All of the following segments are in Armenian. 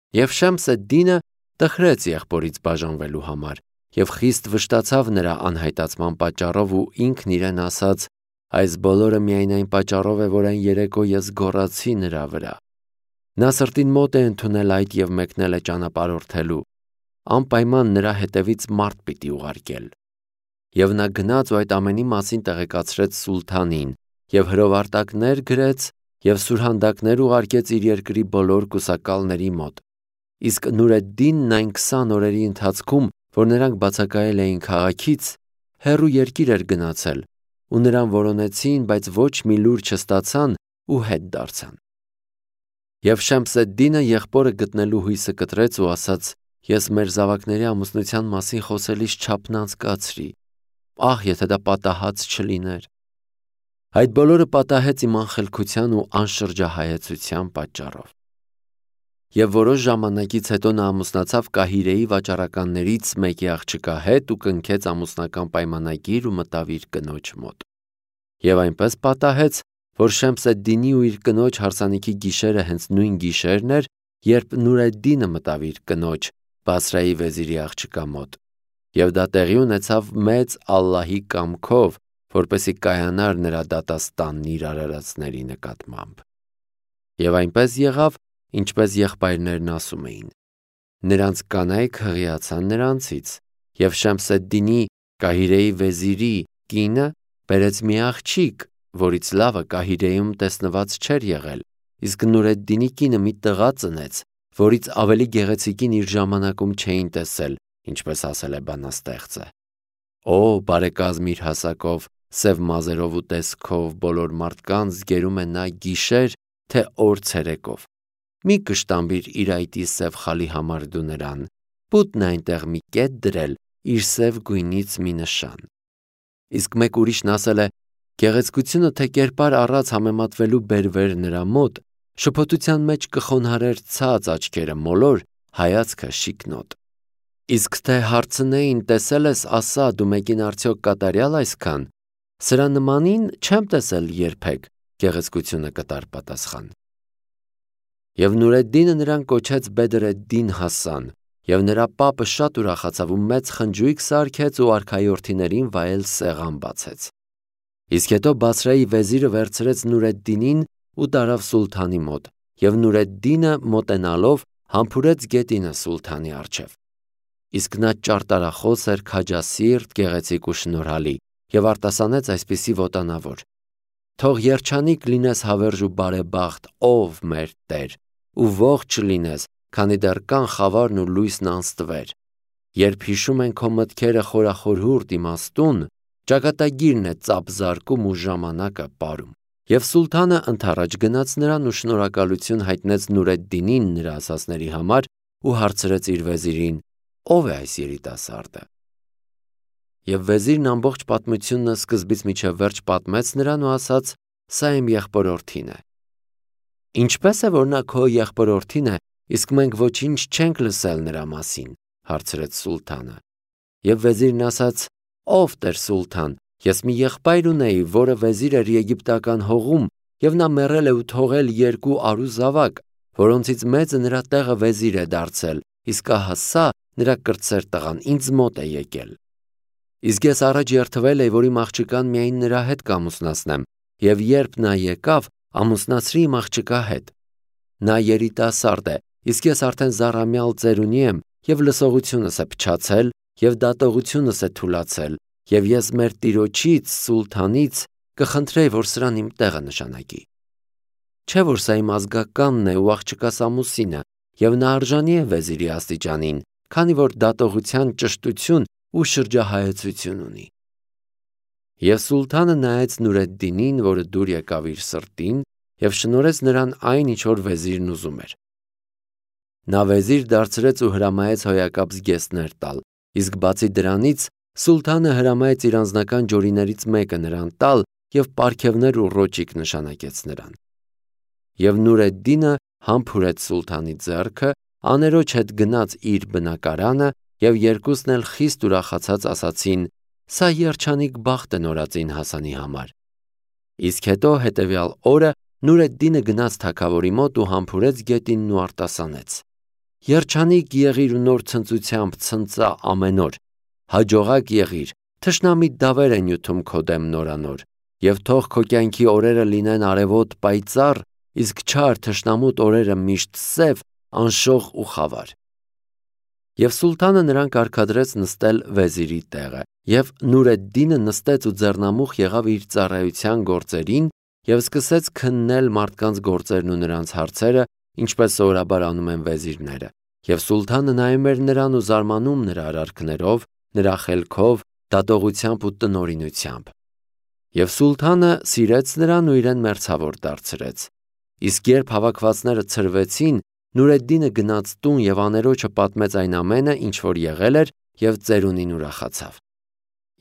Եվ Շեմս-էդ-Դինը տխրեց եղբորից բաժանվելու համար և խիստ վշտացավ նրա անհայտացման պատճառով ու ինքն իրեն ասաց. «Այս բոլորը միայն այն պատճառով է, որ այն երեկո ես գոռացի նրա վրա»։ Նա սրտին մոտ է ընդունել այդ և մեկնել է ճանապարհորդելու, անպայման նրա հետևից մարդ պիտի ուղարկել։ Եվ նա գնաց ու այդ ամենի մասին տեղեկացրեց սուլթանին և հրովարտակներ գրեց և սուրհանդակներ ուղարկեց իր երկրի բոլոր կուսակալների մոտ։ Իսկ Նուրեդդինն այն 20 օրերի ընթացքում, որ նրանք բացակայել էին քաղաքից, հեռու երկիր էր գնացել, ու նրան որոնեցին, բայց ոչ մի լուր չստացան ու հետ դարձան։ Եվ Շեմս-էդ-Դինը եղբորը գտնելու հույսը կտրեց ու ասաց. «Ես մեր զավակների ամուսնության մասին խոսելիս չափն անցկացրի, ահ, եթե դա պատահած չլիներ»։ Այդ բոլորը պատահեց իմ անխելքության ու անշրջահայեցության պատճառով։ Եվ որոշ ժամանակից հետո նա ամուսնացավ Կահիրեի վաճառականներից մեկի աղջկա հետ ու կնքեց ամուսնական պայմանագիր ու մտավ իր կնոջ մոտ։ Եվ այնպես պատահեց, որ Շեմս-էդ-Դինի ու իր կնոջ հարսանիքի գիշերը հենց նույն գիշերն էր, երբ Նուրեդդինը մտավ իր կնոջ Բասրայի վեզիրի աղջկա մոտ։ Եվ դա տեղի ունեցավ մեծ Ալլահի կամքով, որպեսզի կայանար նրա դատաստանն իր արարածների նկատմամբ։ Եվ այնպես եղավ, ինչպես եղբայրներն ասում էին։ Նրանց կանայք հղիացան նրանցից, և Շեմս-էդ-Դինի Կահիրեի վեզիրի կինը բերեց մի աղջիկ, որից լավը Կահիրեում տեսնված չէր եղել, իսկ Նուրեդդինի կինը մի տղա ծնեց, որից ավելի գեղեցիկին իր ժամանակում չէին տեսել, ինչպես ասել է բանաստեղծը։ Օ, բարեկազմ իր հասակով, սև մազերով ու տեսքով բոլոր մարդկանց զգերում է նա գիշեր, թե օր ցերեկով։ Մի կշտամբիր իր այտի սև խալի համար դու նրան, պուտն է այնտեղ մի կետ դրել իր սև գույնից մի նշան։ Իսկ մեկ ուրիշն ասել է. գեղեցկությունը թե կերպար առած համեմատվելու բերվեր նրա մոտ, շփոթության մեջ կխոնարհեր ցած աչքերը մոլոր, հայացքը շիկնոտ։ Իսկ թե հարցնեին տեսել ես ասա դու մեկին արդյոք կատարյալ այսքան, սրա նմանին չեմ տեսել երբեք, գեղեցկությունը կտար պատասխան։ Եվ Նուրեդդինը նրան կոչեց Բեդր էդ-Դին Հասան, և նրա պապը շատ ուրախացավ ու մեծ խնջույք սարքեց ու արքայորդիներին վայել սեղան բացեց։ Իսկ հետո Բասրայի վեզիրը վերցրեց Նուրեդդինին ու տարավ սուլթանի մոտ, և Նուրեդդինը մոտենալով համբուրեց գետինը սուլթանի առջև։ Իսկ նա ճարտարախոս էր, քաջասիրտ, գեղեցիկ ու շնորհալի, և արտասանեց այսպիսի ոտանավոր. «Թող երջանիկ լինես հավերժ ու բարեբախտ, ով մեր Տեր, ու ողջ լինես, քանի դեռ կան խավարն ու լույսն անստվեր։ Երբ հիշում են քո մտքերը խորախորհուրդ իմաստուն, ճակատագիրն է ծափ զարկում ու ժամանակը պարում»։ Եվ սուլթանը ընդառաջ գնաց նրան ու շնորհակալություն հայտնեց Նուրեդդինին նրա ասածների համար ու հարցրեց իր վեզիրին. «Ո՞վ է այս երիտասարդը»։ Եվ վեզիրն ամբողջ պատմությունը սկզբից մինչև վերջ պատմեց նրան ու ասաց. «Սա իմ եղբորորդին է»։ «Ինչպե՞ս է, որ նա քո եղբորորդին է, իսկ մենք ոչինչ չենք լսել նրա մասին», հարցրեց սուլթանը։ Եվ վեզիրն ասաց. «Ով Տեր սուլթան, ես մի եղբայր ունեի, որը վեզիր էր եգիպտական հողում, և նա մեռել է ու թողել 2 արու զավակ, որոնցից մեծը նրա տեղը վեզիր է դարձել, իսկ ահա սա նրա կրտսեր տղան ինձ մոտ է եկել։ Իսկ ես առաջ երդվել էի, որ իմ աղջկան միայն նրա հետ կամուսնացնեմ, և երբ նա եկավ, ամուսնացրի իմ աղջկա հետ։ Նա երիտասարդ է, իսկ ես արդեն զառամյալ ծերունի եմ, և լսողությունս է փչացել, և դատողությունս է թուլացել, և ես մեր տիրոջից սուլթանից կխնդրեի, որ սրան իմ տեղը նշանակի։ Չէ՞ որ սա իմ ազգականն է ու աղջկաս ամուսինը, և նա արժանի է վեզիրի աստիճանին, քանի որ դատողության ճշտություն ու շրջահայեցություն ունի։ Եվ սուլթանը նայեց Նուրեդդինին, որը դուր եկավ իր սրտին, և շնորհեց նրան այն, ինչ որ վեզիրն ուզում էր։ Նա վեզիր դարձրեց ու հրամայեց հոյակապ զգեստներ տալ, իսկ բացի դրանից սուլթանը հրամայեց իր անձնական ջորիներից մեկը նրան տալ և պարգևներ ու ռոճիկ նշանակեց նրան։ Եվ Նուրեդդինը համբուրեց սուլթանի ձեռքը, աներոջ հետ գնաց իր բնակարանը, և երկուսն էլ խիստ ուրախացած ասացին. «Սա երջանիկ բախտ է նորածին Հասանի համար»։ Իսկ հետո հետևյալ օրը Նուրեդդինը գնաց թագավորի մոտ ու համբուրեց գետինն ու արտասանեց։ Երջանիկ եղիր ու նոր ցնծությամբ ցնծա ամեն օր, հաջողակ եղիր, թշնամիտ դավեր է նյութում քո դեմ նորանոր, եւ թող քո կյանքի օրերը լինեն արևոտ պայծառ, իսկ չար թշնամուտ օրերը միշտ սև, անշող ու խավար։ Եվ սուլթանը նրան կարգադրեց նստել վեզիրի տեղը, եւ Նուրեդդինը նստեց ու ձեռնամուխ եղավ իր ծառայության գործերին եւ սկսեց քննել մարդկանց գործերն ու նրանց հարցերը, ինչպես սովորաբար անում են վեզիրները։ Եվ սուլթանը նայում էր նրան ու զարմանում նրա արարքներով, նրա խելքով, դատողությամբ ու տնօրինությամբ։ Եվ սուլթանը սիրեց նրան ու իրեն մերձավոր դարձրեց։ Իսկ երբ հավաքվածները ցրվեցին, Նուրեդդինը գնաց տուն եւ աներոջը պատմեց այն ամենը, ինչ որ եղել էր, եւ ծերունին ուրախացավ։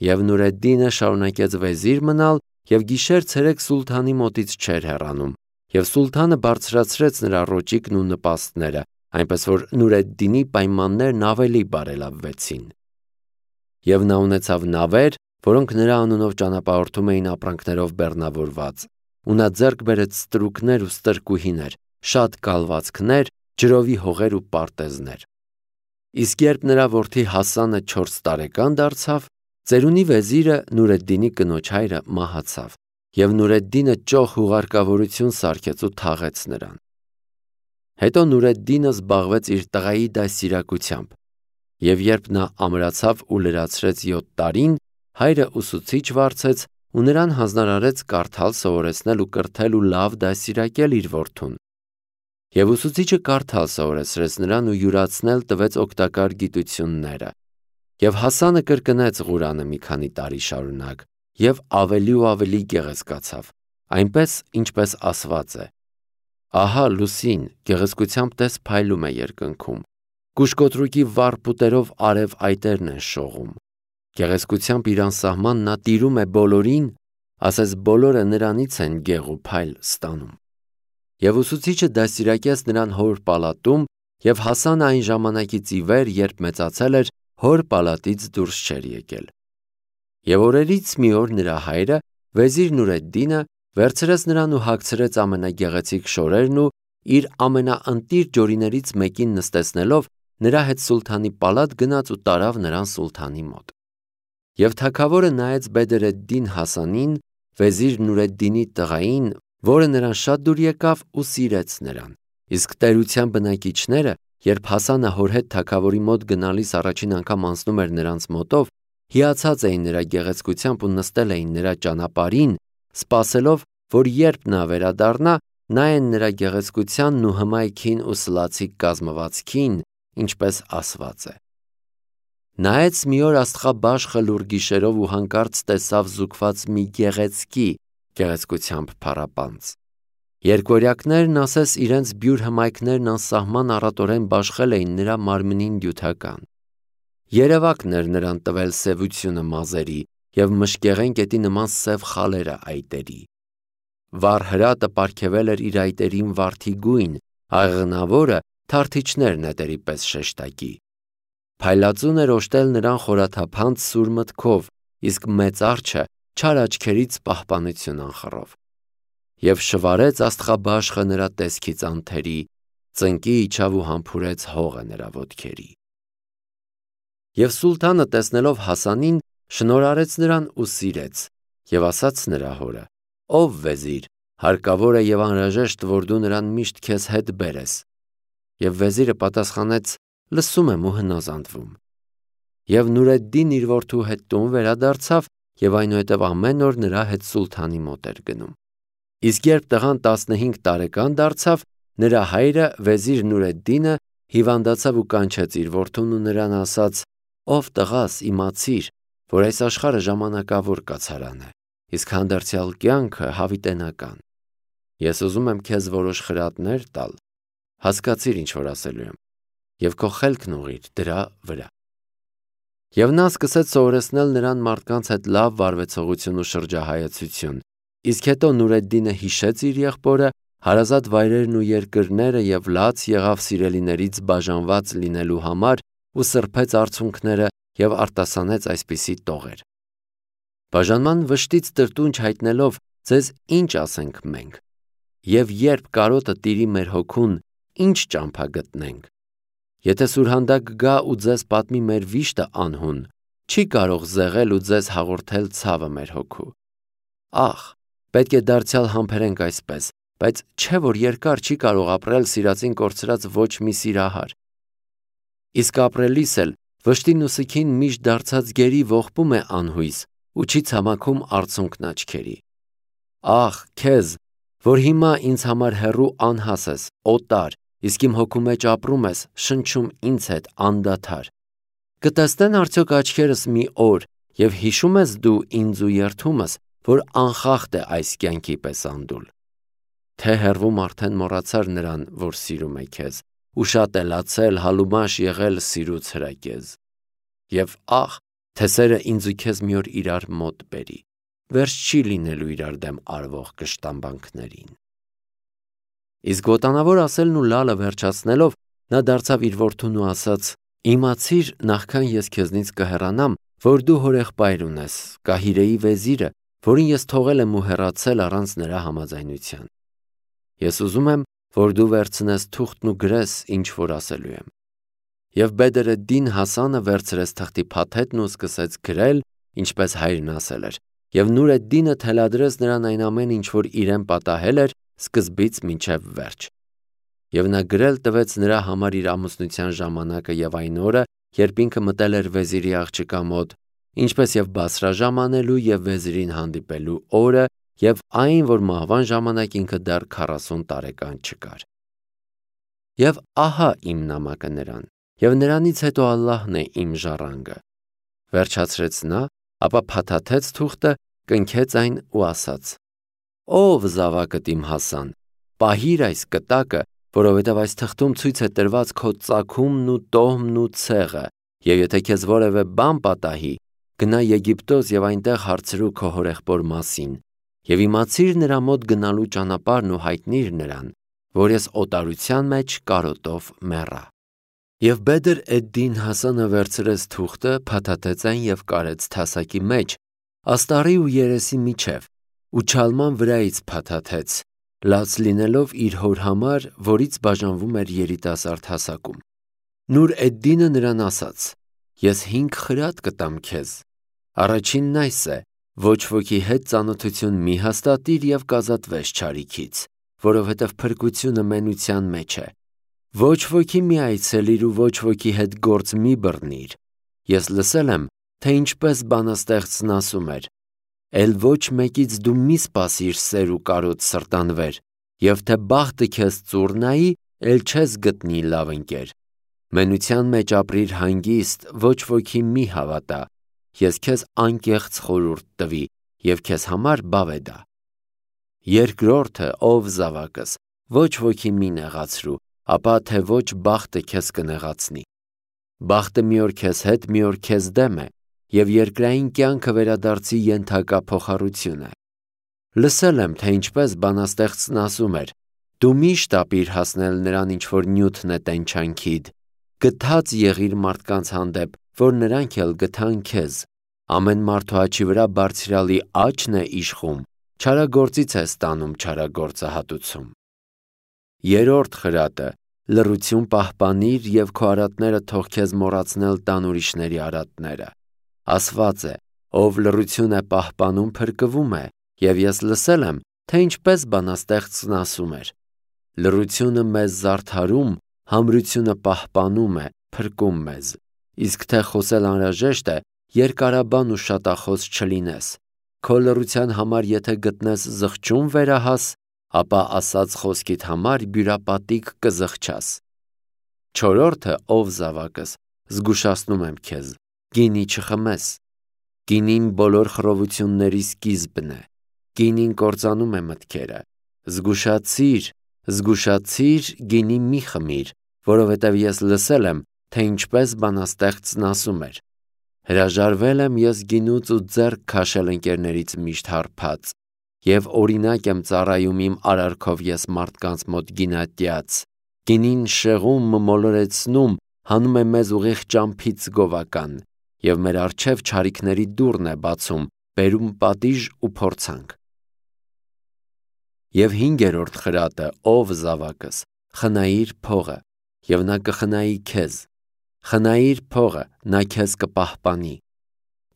Եվ Նուրեդդինը շարունակեց վեզիր մնալ եւ գիշեր-ցերեկ սուլթանի մոտից չէր հեռանում, եւ սուլթանը բարձրացրեց նրա ռոճիկն ու նպաստները, այնպես որ Նուրեդդինի պայմաններն ավելի բարելավվեցին։ Եվ նա ունեցավ նավեր, որոնք նրա անունով ճանապարհորդում էին ապրանքներով բեռնավորված, ու նա ձեռք բերեց ստրուկներ ու ստրկուհիներ, շատ կալվածքներ, ջրովի հողեր ու պարտեզներ։ Իսկ երբ նրա որդի Հասանը 4 տարեկան դարձավ, ծերունի վեզիրը Նուրեդդինի կնոջ հայրը մահացավ, եւ Նուրեդդինը ճոխ հուղարկավորություն սարքեց ու թաղեց նրան։ Հետո Նուրեդդինը զբաղվեց իր տղայի դաստիարակությամբ, եւ երբ նա ամրացավ ու լրացրեց 7 տարին, հայրը ուսուցիչ վարձեց ու նրան հանձնարարեց կարդալ, սովորեցնել ու կրթել ու լավ դաստիարակել իր որդուն։ Եվ ուսուցիչը կարդալ սովորեցրեց նրան ու յուրացնել տվեց օգտակար գիտությունները։ Եվ Հասանը կրկնեց Ղուրանը մի քանի տարի շարունակ, եւ ավելի ու ավելի գեղեցկացավ, այնպես ինչպես ասված է. Ահա լուսին գեղեցկությամբ տես փայլում է երկնքում, կուշկոտրուկի վառ պուտերով արև այտերն են շողում։ Գեղեցկությամբ իր անսահման նա տիրում է բոլորին, ասես բոլորը նրանից են գեղ ու փայլ ստանում։ Եվ ուսուցիչը դաստիարակեց նրան հոր պալատում, եւ Հասանը այն ժամանակից ի վեր, երբ մեծացել էր, հոր պալատից դուրս չէր եկել։ Եվ օրերից մի օր նրա հայրը, վեզիր Նուրեդդինը, վերցրեց նրան ու հագցրեց ամենագեղեցիկ շորերն ու իր ամենաընտիր ջորիներից մեկին նստեցնելով նրա հետ սուլթանի պալատ գնաց ու տարավ նրան սուլթանի մոտ։ Եվ թագավորը նայեց Բեդր-էդ-Դին Հասանին, վեզիր Նուրեդդինի տղային, որը նրան շատ դուր եկավ ու սիրեց նրան։ Իսկ տերության բնակիչները, երբ Հասանը հոր հետ թագավորի մոտ գնալիս առաջին անգամ անցնում էր նրանց մոտով, հիացած էին նրա գեղեցկությամբ ու նստել էին նրա ճանապարհին, սպասելով, որ երբ նա վերադառնա, նայեն նրա գեղեցկությանն ու հմայքին ու սլացիկ կազմվածքին, ինչպես ասված է։ Նայեց մի օր աստղաբաշխը լուռ գիշերով ու հանկարծ տեսավ զուգված մի գեղեցկությամբ փառապանծ։ Երկորյակներն ասես իրենց բյուր հմայքներն անսահման առատորեն բաշխել էին նրա մարմնին դյութական։ Երևակն էր նրան տվել սևությունը մազերի եւ մշկեղեն կետի նման սև խալերը այտերի։ Վառ հրատը պարգևել էր իր այտերին վարդի գույն, աղեղնավորը թարթիչներ նետերի պես շեշտակի։ Փայլածուն էր օժտել նրան խորաթափանց սուր մտքով, իսկ մեծ արջը չար աչքերից պահպանություն անխռով։ Եվ շվարեց աստղաբաշխը նրա տեսքից անթերի, ծնկի իջավ ու համբուրեց հողը նրա ոտքերի։ Եվ սուլթանը տեսնելով Հասանին, շնորհարեց նրան ու սիրեց, եւ ասաց նրա հորը. «Ով վեզիր, հարկավոր է եւ անհրաժեշտ, որ դու նրան միշտ քեզ հետ բերես»։ Եվ վեզիրը պատասխանեց. «Լսում եմ ու հնազանդվում»։ Եվ Նուրեդդին իր որդու հետ տուն վերադարձավ եւ այնուհետև ամեն օր նրա հետ սուլթանի մոտ էր գնում։ Իսկ երբ տղան 15 տարեկան դարձավ, նրա հայրը վեզիր Նուրեդդինը հիվանդացավ ու կանչեց իր որդուն ու նրան ասաց. «Ով տղաս, իմացիր, որ այս աշխարհը ժամանակավոր կացարան է, իսկ հանդերձյալ կյանքը հավիտենական։ Ես ուզում եմ քեզ որոշ խրատներ տալ, հասկացիր ինչ որ ասելու եմ, եւ քո խելքն ուղղիր դրա վրա»։ Եվ նա սկսեց սովորեցնել նրան մարդկանց հետ լավ վարվեցողություն ու շրջահայացություն, իսկ հետո Նուրեդդինը հիշեց իր եղբորը, հարազատ վայրերն ու երկրները եւ լաց եղավ սիրելիներից բաժանված լինելու համար ու սրբեց արցունքները եւ արտասանեց այսպիսի տողեր. «Բաժանման վշտից տրտունջ հայտնելով, ձեզ ինչ ասենք մենք, եւ երբ կարոտը տիրի մեր հոգուն, ինչ ճամփա գտնենք, Եթե սուրհանդակ գա ու ձեզ պատմի մեր վիշտը անհուն, չի կարող զեղել ու ձեզ հաղորդել ցավը մեր հոգու։ Ախ, պետք է դարձյալ համբերենք այսպես, բայց չէ որ երկար չի կարող ապրել սիրածին կորցրած ոչ մի սիրահար։ Իսկ ապրելիս էլ վշտին ու սգին միշտ դարձած գերի ողբում է անհույս ու չի ցամաքում արցունքն աչքերի։ Ախ, քեզ, որ հիմա ինձ համար հեռու անհաս ես, օտար, իսկ իմ հոգու մեջ ապրում ես, շնչում ինձ հետ անդադար։ Կտեսնեն արդյոք աչքերս մի օր և հիշում ես դու ինձ ու երդումս, որ անխախտ է այս կյանքի պես անդուլ։ Թե հեռվում արդեն մոռացար նրան, որ սիրում է քեզ, ու շատ է լացել, հալումաշ եղել սիրուց հրակեզ։ Եվ ախ, թե սերը ինձ ու քեզ մի օր իրար մոտ բերի, վերջ չի լինելու իրար դեմ արվող կշտամբանքներին։ Իսկ ոտանավոր ասելն ու լալը վերջացնելով, նա դարձավ իր որդուն ու ասաց. «Իմացիր, նախքան ես քեզնից կհեռանամ, որ դու հորեղբայր ունես, Կահիրեի վեզիրը, որին ես թողել եմ ու հեռացել առանց նրա համաձայնության։ Ես ուզում եմ, որ դու վերցնես թուղթն ու գրես, ինչ որ ասելու եմ»։ Եվ Բեդր էդ-Դին Հասանը վերցրեց թղթի փաթեթն ու սկսեց գրել, ինչպես հայրն ասել էր, և Նուր էդ-Դինը թելադրեց նրան այն ամենը, ինչ որ իրեն պատահել էր, սկզբից մինչև վերջ։ Եվ նա գրել տվեց նրա համար իր ամուսնության ժամանակը և այն օրը, երբ ինքը մտել էր վեզիրի աղջկա մոտ, ինչպես և Բասրա ժամանելու և վեզիրին հանդիպելու օրը, և այն, որ մահվան ժամանակ ինքը դեռ 40 տարեկան չկար։ Եվ ահա իմ նամակը նրան, և նրանից հետո Ալլահն է իմ ժառանգը։ Վերջացրեց նա, ապա փաթաթեց թուղթը, կնքեց այն ու ասաց. «Ով զավակդ իմ Հասան, պահիր այս կտակը, որովհետև այս թղթում ցույց է տրված քո ծագումն ու տոհմն ու ցեղը, և եթե քեզ որևէ բան պատահի, գնա Եգիպտոս և այնտեղ հարցրու քո հորեղբոր մասին, և իմացիր նրա մոտ գնալու ճանապարհն ու հայտնիր նրան, որ ես օտարության մեջ կարոտով մեռա»։ Եվ Բեդր էդ-Դին Հասանը վերցրեց թուղթը, փաթաթեց այն և կարեց թասակի մեջ, աստառի ու երեսի միջև, ու չալման վրայից փաթաթեց, լաց լինելով իր հոր համար, որից բաժանվում էր երիտասարդ հասակում։ Նուր էդ-Դինը նրան ասաց. «Ես 5 խրատ կտամ քեզ։ Առաջինն այս է. ոչ ոքի հետ ծանոթություն մի հաստատիր և կազատվես չարիքից, որովհետև փրկությունը մենության մեջ է։ Ոչ ոքի մի այցելիր ու ոչ ոքի հետ գործ մի բռնիր։ Ես լսել եմ, թե ինչպես բանաստեղծն ասում էր. «Էլ ոչ մեկից դու մի սպասիր սեր ու կարոտ սրտանվեր, և թե բախտը քեզ ծուռ նայի, էլ չես գտնի լավ ընկեր։ Մենության մեջ ապրիր հանգիստ, ոչ ոքի մի հավատա։ Ես քեզ անկեղծ խորհուրդ տվի և քեզ համար բավեդա։ Երկրորդը, ով զավակս, ոչ ոքի մի նեղացրու, ապա թե ոչ բախտը քեզ կնեղացնի։ Բախտը մի օր քեզ հետ, մի օր քեզ դեմ է, և երկրային կյանքը վերադարձի ենթակա փոխառություն է։ Լսել եմ, թե ինչպես բանաստեղծն ասում էր. «Դու միշտ ապիր հասնել նրան, ինչ որ նյութն է տենչանքիդ, գթած եղիր մարդկանց հանդեպ, որ նրանք էլ գթան քեզ։ Ամեն մարդու աչի վրա բարձրյալի աչքն է իշխում, չարագործից է ստանում չարագործը հատուցում»։ Երրորդ խրատը. լռություն պահպանիր և քո արատները թող քեզ մոռացնել տան ուրիշների արատները։ Ասված է. «Ով լռություն է պահպանում, փրկվում է», և ես լսել եմ, թե ինչպես բանաստեղծն ասում էր. «Լռությունը մեզ զարդարում, համրությունը պահպանում է, փրկում մեզ։ Իսկ թե խոսել անհրաժեշտ է, երկարաբան ու շատախոս չլինես։ Քո լռության համար եթե գտնես զղջում վերահաս, ապա ասած խոսքիդ համար բյուրապատիկ կզղջաս»։ Չորրորդը, ով զավակս, զգուշացնում եմ քեզ, գինի չխմես։ Գինին բոլոր խռովությունների սկիզբն է։ Գինին կործանում է մտքերը։ Զգուշացիր, զգուշացիր, գինի մի խմիր, որովհետև ես լսել եմ, թե ինչպես բանաստեղծն ասում էր. «Հրաժարվել եմ ես գինուց ու ձեռք քաշել ընկերներից միշտ հարբած, և օրինակ եմ ծառայում իմ արարքով ես մարդկանց մոտ գինատյաց։ Գինին շեղում, մոլորեցնում, հանում է մեզ ուղիղ ճամփից գովական, և մեր առջև չարիքների դուռն է բացում, բերում պատիժ ու փորձանք»։ Եվ հինգերորդ խրատը, ով զավակս, խնայիր փողը։ եւ նա կխնայի քեզ։ Խնայիր փողը, նա քեզ կպահպանի։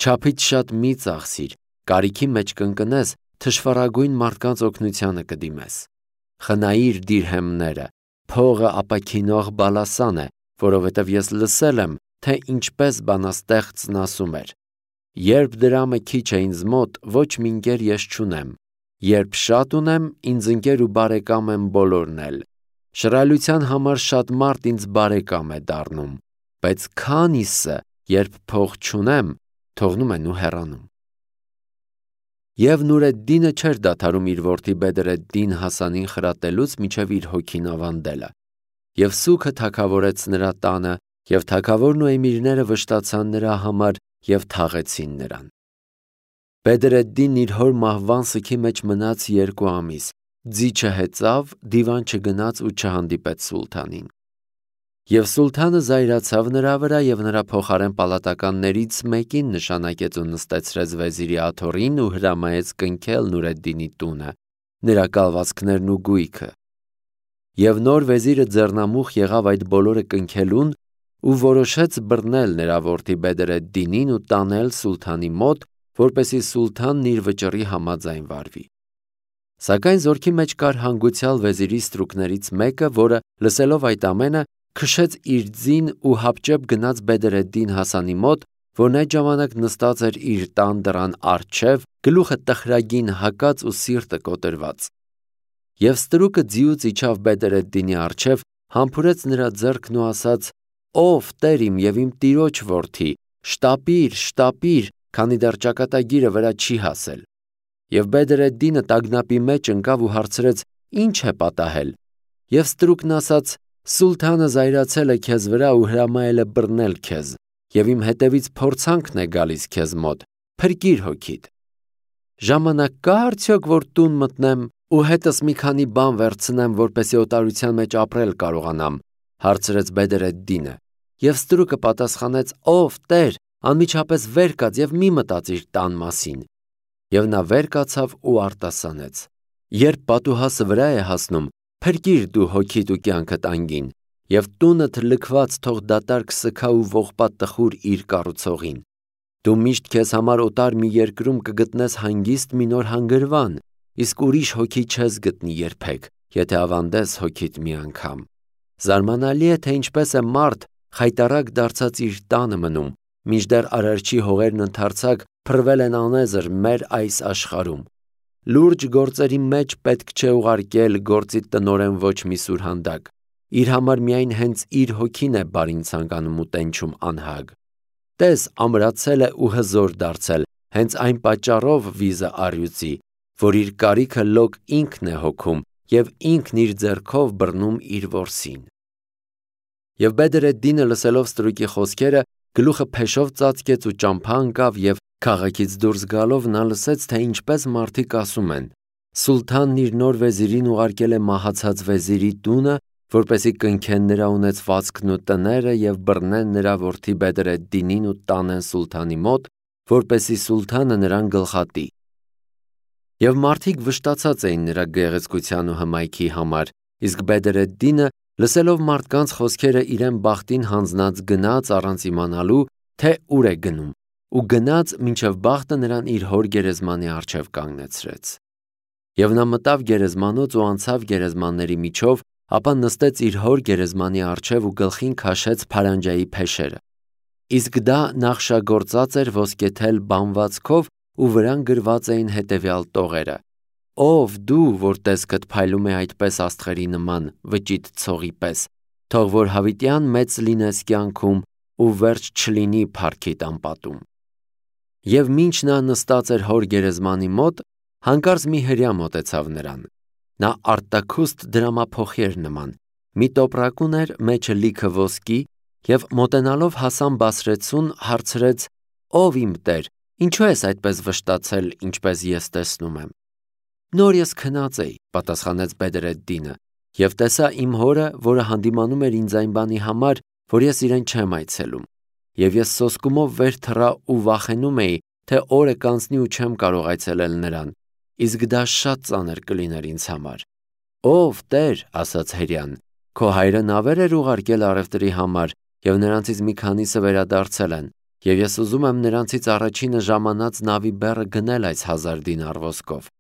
Չափից շատ մի ծախսիր, կարիքի մեջ կընկնես, թշվառագույն մարդկանց օգնությանը կդիմես։ Խնայիր դիրհեմները, փողը ապաքինող բալասան է, որովհետև ես լսել եմ, թե ինչպես բանաստեղծն ասում էր. երբ դրամը քիչ է ինձ մոտ, ոչ մի ընկեր ես չունեմ, երբ շատ ունեմ, ինձ ընկեր ու բարեկամ եմ բոլորն էլ, շռայլության համար շատ մարդ ինձ բարեկամ է դառնում, բայց քանիսը, երբ փող չունեմ, թողնում են ու հեռանում։ Եվ Նուրեդդինը չէր դադարում իր որդի Բեդրեդդին Հասանին խրատելուց մինչև իր հոգին ավանդելը, և սուգը թագավորեց նրա տանը, և թագավորն ու էմիրները վշտացան նրա համար և թաղեցին նրան։ Բեդրեդդինն իր հոր մահվան սգի մեջ մնաց 2 ամիս, ձի չհեծավ, դիվան չգնաց ու չհանդիպեց սուլթանին։ Եվ սուլթանը զայրացավ նրա վրա և նրա փոխարեն պալատականներից մեկին նշանակեց ու նստեցրեց վեզիրի աթոռին ու հրամայեց կնքել Նուրեդդինի տունը, նրա կալվածքներն ու գույքը։ Եվ նոր վեզիրը ձեռնամուխ եղավ այդ բոլորը կնքելուն ու որոշեց բռնել նրա որդի Բեդրեդդինին ու տանել սուլթանի մոտ, որպեսզի սուլթանն իր վճռի համաձայն վարվի։ Սակայն զորքի մեջ կար հանգուցյալ վեզիրի ստրուկներից մեկը, որը լսելով այդ ամենը քշեց իր ձին ու հապճեպ գնաց Բեդրեդդին Հասանի մոտ, որն այդ ժամանակ նստած էր իր տան դռան առջև, գլուխը տխրագին հակած ու սիրտը կոտրված։ Եվ ստրուկը ձիուց իջավ Բեդրեդդինի առջև, համբուրեց նրա ձեռքն ու ասաց. «Ով տեր իմ և իմ տիրոջ որդի, շտապիր, շտապիր, քանի դեռ ճակատագիրը վրա չի հասել»։ Եվ Բեդրեդդինը տագնապի մեջ ընկավ ու հարցրեց. «Ինչ է պատահել»։ Եվ ստրուկն ասաց. «Սուլթանը զայրացել է քեզ վրա ու հրամայել է բռնել քեզ, և իմ հետևից փորձանքն է գալիս քեզ մոտ, փրկիր հոգիդ»։ Ժամանակ կա՞ արդյոք, որ տուն մտնեմ ու հետս մի քանի բան վերցնեմ, որպեսզի օտարության մեջ ապրել կարողանամ, հարցրեց Բեդրեդդինը։ Եվ ստրուկը պատասխանեց. «Ով տեր, անմիջապես վեր կաց և մի մտածիր տան մասին»։ Եվ նա վեր կացավ ու արտասանեց. «Երբ պատուհասը վրա է հասնում, փրկիր դու հոգիդ ու կյանքդ անգին, և տունդ լքված թող դատարկ սգա ու ողբա տխուր իր կառուցողին։ Դու միշտ քեզ համար օտար մի երկրում կգտնես հանգիստ մի նոր հանգրվան, իսկ ուրիշ հոգի չես գտնի երբեք, եթե ավանդես հոգիդ մի անգամ։ Զարմանալի է, թե ինչպես է մարդ խայտառակ դարձած իր տանը մնում, մինչդեռ արարչի հողերն ընդարձակ փռվել են անեզր մեր այս աշխարհում։ Լուրջ գործերի մեջ պետք չէ ուղարկել գործի տնօրեն ոչ մի սուրհանդակ, իր համար միայն հենց իր հոգին է բարին ցանկանում ու տենչում անհագ։ Տես, ամրացել է ու հզոր դարձել, հենց այն պատճառով վիզը առյուծի, որ իր կարիքը լոկ ինքն է հոգում և ինքն իր ձեռքով բռնում իր որսին»։ Եվ Բեդրեդդինը լսելով ստրուկի խոսքերը, գլուխը փեշով ծածկեց ու ճամփա ընկավ, և քաղաքից դուրս գալով նա լսեց, թե ինչպես մարդիկ ասում են. «Սուլթանն իր նոր վեզիրին ուղարկել է մահացած վեզիրի տունը, որպեսզի կնքեն նրա ունեցվածքն ու տները և բռնեն նրա որդի Բեդրեդդինին ու տանեն սուլթանի մոտ, որպեսզի սուլթանը նրան գլխատի»։ Եվ մարդիկ վշտացած էին նրա գեղեցկության ու հմայքի համար, իսկ Բեդրեդդինը, լսելով մարդկանց խոսքերը, իրեն բախտին հանձնած գնաց առանց իմանալու, թե ուր է գնում, ու գնաց, մինչև բախտը նրան իր հոր գերեզմանի առջև կանգնեցրեց։ Եվ նա մտավ գերեզմանոց ու անցավ գերեզմանների միջով, ապա նստեց իր հոր գերեզմանի առջև ու գլխին քաշեց փարանջայի փեշերը։ Իսկ դա նախշագործած էր ոսկեթել բանվածքով ու վրան գրված էին հետևյալ տողերը. «Ով դու, որ տեսքդ փայլում է այդպես աստղերի նման, վճիտ ցողի պես, թող որ հավիտյան մեծ լինես կյանքում ու վերջ չլինի փառքիդ անպատում»։ Եվ մինչ նա նստած էր հոր գերեզմանի մոտ, հանկարծ մի հրեա մոտեցավ նրան։ Նա արտաքուստ դրամափոխի էր նման, մի տոպրակուն էր, մեջը լիքը ոսկի, և մոտենալով Հասան Բասրեցուն հարցրեց. «Ով իմ տեր, ինչու ես այդպես վշտացել, ինչպես ես տեսնում եմ»։ «Նոր ես քնած էի», պատասխանեց Բեդրեդդինը, «և տեսա իմ հորը, որը հանդիմանում էր ինձ այն բանի համար, որ ես իրեն չեմ այցելում, և ես սոսկումով վեր թռա ու վախենում էի, թե օրը կանցնի ու չեմ կարող այցելել նրան, իսկ դա շատ ծանր կլիներ ինձ համար»։ «Ով տեր», ասաց հրեան, Քո հայրը նավեր էր ուղարկել առևտրի համար, և նրանցից մի քանիսը վերադարձել են, և ես ուզում եմ նրանցից առաջինը ժամանած նավի բեռը գնել այս 1000 դինար ոսկով։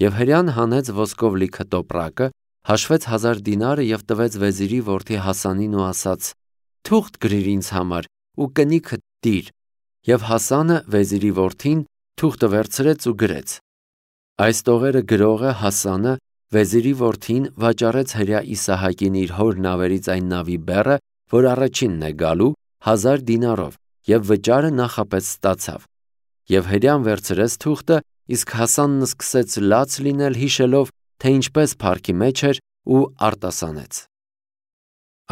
Եվ հրեան հանեց ոսկով լիքը տոպրակը, հաշվեց 1000 դինարը և տվեց վեզիրի որդի Հասանին ու ասաց. «Թուղթ գրիր ինձ համար ու կնիքդ տիր»։ Եվ Հասանը, վեզիրի որդին, թուղթը վերցրեց ու գրեց։ Այս տողերը գրողը Հասանը, վեզիրի որդին, վաճառեց հրեա Իսահակին իր հոր նավերից այն նավի բեռը, որ առաջինն է գալու, 1000 դինարով, և վճարը նախապես ստացավ։ Եվ հրեան վերցրեց թուղթը, իսկ Հասանն սկսեց լաց լինել, հիշելով, թե ինչպես փառքի մեջ էր, ու արտասանեց։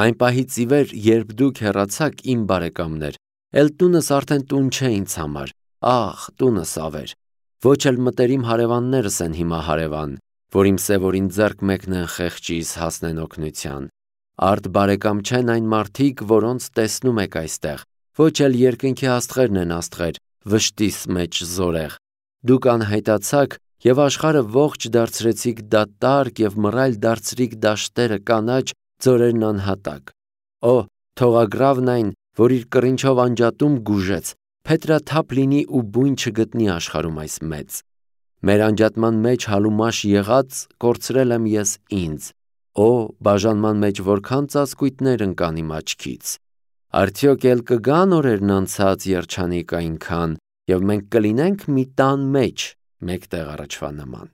Այն պահից ի վեր, երբ դուք հեռացաք, իմ բարեկամներ, էլ տունս արդեն տուն չէ ինձ համար, աղ, տունս ավեր։ Ոչ էլ մտերիմ հարևաններս են հիմա հարևան, որ իմ սևորին ձեռք մեկնեն խեղճիս հասնեն օգնության։ Արդ բարեկամ չեն այն մարդիկ, որոնց տեսնում եք այստեղ, ոչ էլ երկնքի աստղերն են աստղեր, վշտիս մեջ զորեղ։ Դուք անհայտացաք և աշխարհը ողջ դարձրեցիք դատարկ և մռայլ դարձրիք դաշտերը կանաչ, ձորերն անհատակ։ Օ, թողագրավն այն, որ իր կռինչով անջատում գուժեց, փետրաթափ լինի ու բույն չգտնի աշխարհում այս մեծ։ Մեր անջատման մեջ հալումաշ եղած կորցրել եմ ես ինձ։ Օ, բաժանման մեջ որքան ծածկույթներ ընկան իմ աչքից։ Արդյոք էլ կգան օրերն անցած երջանիկ այնքան, և մենք կլինենք մի տան մեջ, մեկտեղ առաջվա նման։